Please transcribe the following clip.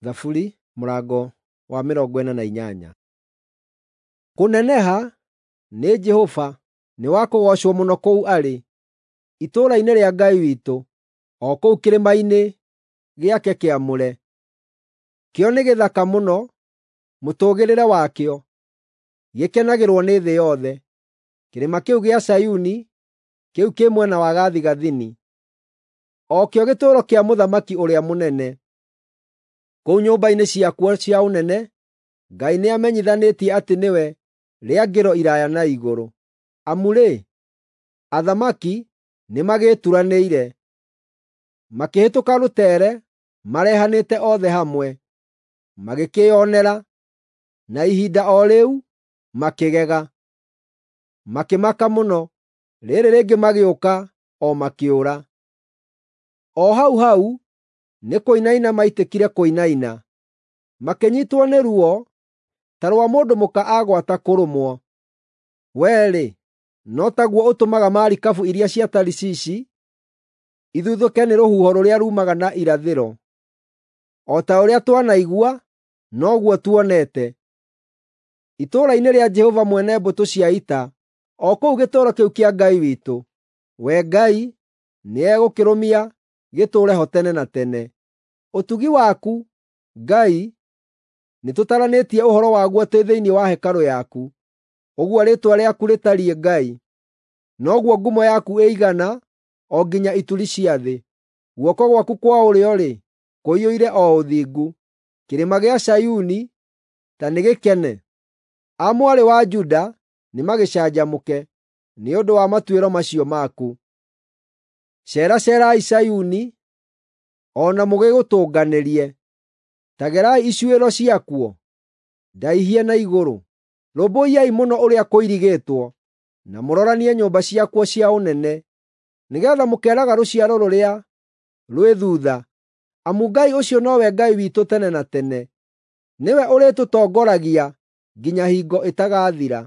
Thaburi mũrango wa 48. Kũneneha nĩ Jehova nĩ wa kũgoocwo mũno kũu arĩ, itũũra-inĩ rĩa Ngai witũ, o kũu kĩrĩma-inĩ gĩake kĩamũre. Kĩo nĩ gĩthaka mũno mũtũũgĩrĩre wakĩo, gĩkenagĩrwo nĩ thĩ yothe. Kĩrĩma kĩu gĩa Zayuni, kĩu kĩ mwena wa gathigathini, o kĩo gĩtũũro kĩa Mũthamaki ũrĩa mũnene. Kũu nyũmba-inĩ ciakuo cia ũnene, Ngai nĩamenyithanĩtie atĩ nĩwe rĩangĩro iraaya na igũrũ. Amu-rĩ, athamaki nĩmagĩturanĩire, makĩhĩtũka rũtere marehanĩte othe hamwe, magĩkĩĩonera, na ihinda o rĩu makĩgega. Makĩmaka mũno, rĩrĩ rĩngĩ magĩũka o makĩũra. O hau hau nĩkũinaina maitĩkire kũinaina, makĩnyiitwo nĩ ruo ta rwa mũndũ mũka agwata kũrũmwo. Wee-rĩ, no taguo ũtũmaga marikabu iria cia Tarishishi ithuthũke nĩ rũhuho rũrĩa ruumaga na irathĩro. O ta ũrĩa twanaigua, noguo tuonete. Itũũra-inĩ rĩa Jehova mwene mbũtũ cia ita, o kũu gĩtũũro kĩu kĩa Ngai witũ, we Ngai nĩegũkĩrũmia gĩtũũre ho tene na tene. Ũtugi waku, Ngai, nĩtũtaranĩtie ũhoro waguo twĩ thĩinĩ wa hekarũ yaku. Ũguo rĩĩtwa rĩaku rĩtariĩ Ngai, noguo ngumo yaku ĩigana o nginya ituri cia thĩ. Guoko gwaku kwa ũrĩo-rĩ, kũiyũire o ũthingu. Kĩrĩma gĩa Zayuni ta nĩgĩkene, a mwarĩ wa Juda nĩmagĩcanjamũke nĩ ũndũ wa matuĩro macio maku. Ceeraceerai Zayuni, o na mũgĩgũtũnganĩrie. Ta gerai icuĩro ciakuo, ndaihie na igũrũ. Rũmbũiyai mũno ũrĩa kũirigĩtwo, na mũroranie nyũmba ciakuo cia ũnene, nĩgeetha mũkeeraga rũciaro rũrĩa rwĩ thuutha, amu Ngai ũcio nowe Ngai witũ tene na tene. Nĩwe ũrĩtũtongoragia nginya hingo ĩtagathira.